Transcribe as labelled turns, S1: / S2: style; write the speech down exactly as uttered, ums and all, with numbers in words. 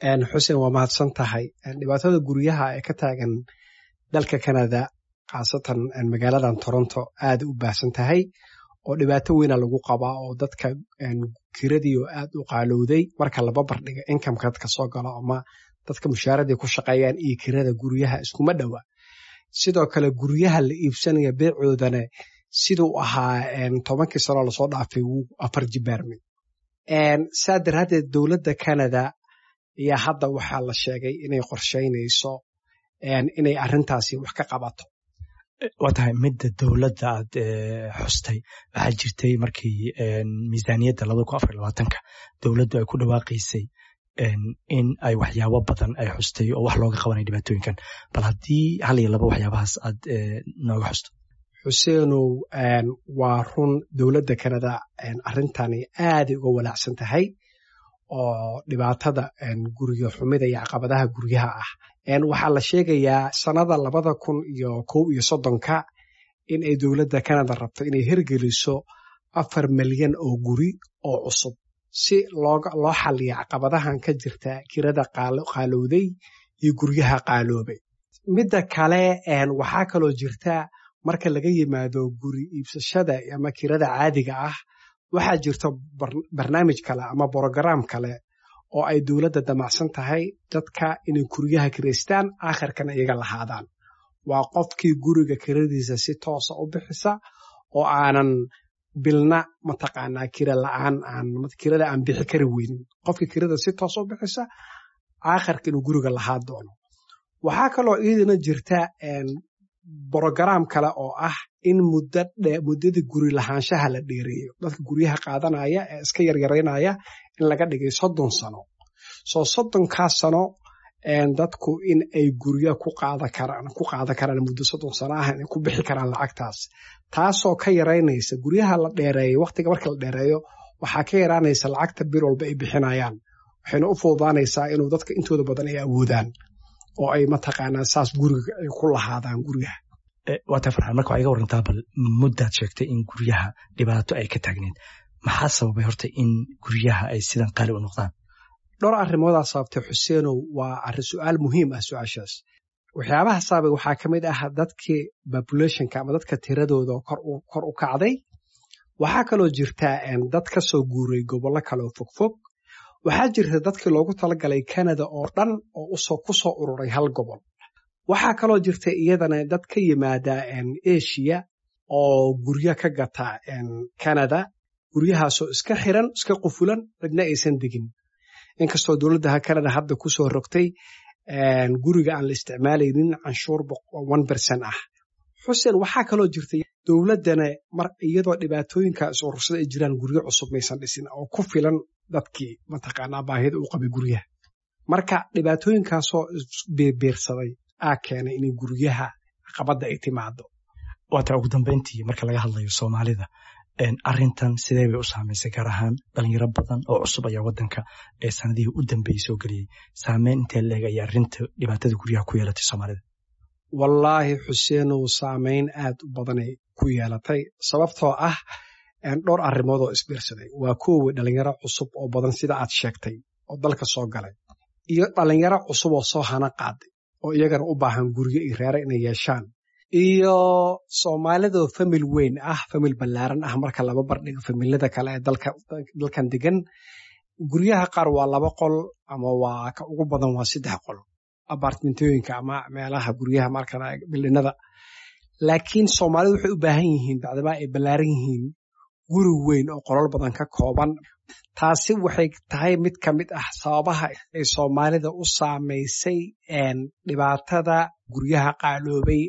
S1: Xuseen, waa mahadsan tahay. Dhibaatada guryaha ee ka taagan dalka Canada, khaasatan magaaladan Toronto, aada u baahsan tahay oo dhibaato weyna lagu qabaa, oo dadka kiradii oo aad u qaalowday marka laba bardhiga incomeka dadka soo galo ama dadka mushaaradii ku shaqeeyaan iyo kirada guryaha iskuma dhowa. Sidoo kale guryaha la iibsanaya beecoodana siduu ahaa tobankii sano lasoo dhaafay wuu afar jibaarmay. Saa daraaddeed dowladda Canada ayaa hadda waxaa la sheegay inay qorsheynayso inay arrintaasi wax ka qabato.
S2: Waa tahay, midda dowladda aad xustay, waxaa jirtay markii miisaaniyadda labada kun afar labaatanka dowladdu ay ku dhawaaqaysay in ay waxyaabo badan ay xustay oo wax looga qabanaya dhibaatooyinkan. Bal haddii hal iyo laba waxyaabahaas aad nooga xusto.
S1: Xuseenow, waa run, dowladda Canada arrintani aaday uga walaacsan tahay oo dhibaatada guryo xumida iyo caqabadaha guryaha ah. Waxaa la sheegayaa sanada labada kun iyo kow iyo soddonka in ay dowladda Canada rabto inay hirgeliso afar milyan oo guri oo cusub si loo xaliyo caqabadahan ka jirta kirada qaalowday iyo guryaha qaaloobay. Midda kale, waxaa kaloo jirta, marka laga yimaado guri iibsashada ama kirada caadiga ah, waxaa jirta barnaamij kale ama program kale oo ay dowladda damacsan tahay dadka inay guryaha kiraystaan, aakhirkana iyaga lahaadaan. Waa qofkii guriga kiradiisa si toosa u bixisa oo aanan bilna mataqaanaa kira la'aan aan kirada aan bixi kari weynin, qofkii kirada si toos u bixisa aakhirka inuu guriga lahaa doono. Waxaa kaloo iyadana jirta program kale oo ah in muddo muddada guri lahaanshaha la dheereeyo, dadka guryaha qaadanaya ee iska yaryaraynaya in laga dhigay soddon sano. Soo soddonkaas sano dadku in ay gurya ku qaada karaan ku qaadan karaan muddo soddon sano ah, inay ku bixi karaan lacagtaas, taasoo ka yaraynaysa guryaha la dheereeyo. Waqtiga marka la dheereeyo waxaa ka yaraanaysa lacagta bil walba ay bixinayaan, waxayna u fududaanaysaa inuu dadka intooda badan ay awoodaan oo ay mataqaanaa saas guriga ay ku lahaadaan guryaha.
S2: Waa taa, Farxaan. Marka waxaa iga warantaa bal muddaad sheegtay in guryaha dhibaato ay ka taagneed. Maxaa sababay horta in guryaha ay sidan qaali u noqdaan?
S1: Dhowr arrimoodaa sababtay, Xuseenow. Waa arrin su-aal muhiim ah su-aashaas. Waxyaabaha sababay waxaa ka mid ah dadkii populationka ama dadka tiradooda kor u kacday. Waxaa kaloo jirta dad ka soo guuray gobollo kaleoo fogfog. Waxaa jirta dadkii loogu talagalay Canada oo dhan oo usoo ku soo ururay hal gobol. Waxaa kaloo jirta iyadana dad ka yimaada Asia oo guryo ka gata Canada, guryahaasoo iska xiran, iska qufulan, cidna aysan degin, inkastoo dowladda Canada hadda kusoo rogtay guriga aan la isticmaalaynin canshuur one percent ah. Xuseen, waxaa kaloo jirta dowladdana mar iyadoo dhibaatooyinka is urursada ay jiraan, guryo cusub maysan dhisin oo ku filan dadkii mataqaanaa baahida u qabay guryaha. Marka dhibaatooyinkaasoo isbeerbeersaday aa keenay inay guryaha caqabadda ay timaado.
S2: Waataa, ugu dambeyntii, marka laga hadlayo Soomaalida, arrintan sidee bay u saamaysay? Gaar ahaan dhalinyaro badan oo cusub ayaa waddanka ee sanadihii u dambeeyey soo geliyey. Saameyn intee leeg ayaa arrinta dhibaatada guryaha ku yeelatay Soomaalida?
S1: Wallaahi Xuseenow, saameyn aad u badanay ku yeelatay, sababtoo ah dhowr arrimood oo isbiirsaday. Waa kuwa dhalinyaro cusub oo badan, sida aad sheegtay, oo dalka soo galay, iyo dhalinyaro cusub oo soo hana qaaday oo iyagana u baahan guryo iyo reere inay yeeshaan, iyo Soomaalidoo family weyn ah, family ballaaran ah marka laba bardhigo familada kale ee dalka dalkan degan. Guryaha qaar waa laba qol ama waa ka ugu badan waa saddex qol, apartmentooyinka ama meelaha guryaha marka buildingada. Laakiin Soomaalidu waxay u baahan yihiin, bacdamaa ay ballaaran yihiin, guri weyn oo qolal badan ka kooban. Taasi waxay tahay mid ka mid ah sababaha ay Soomaalida u saamaysay dhibaatada guryaha qaaloobay.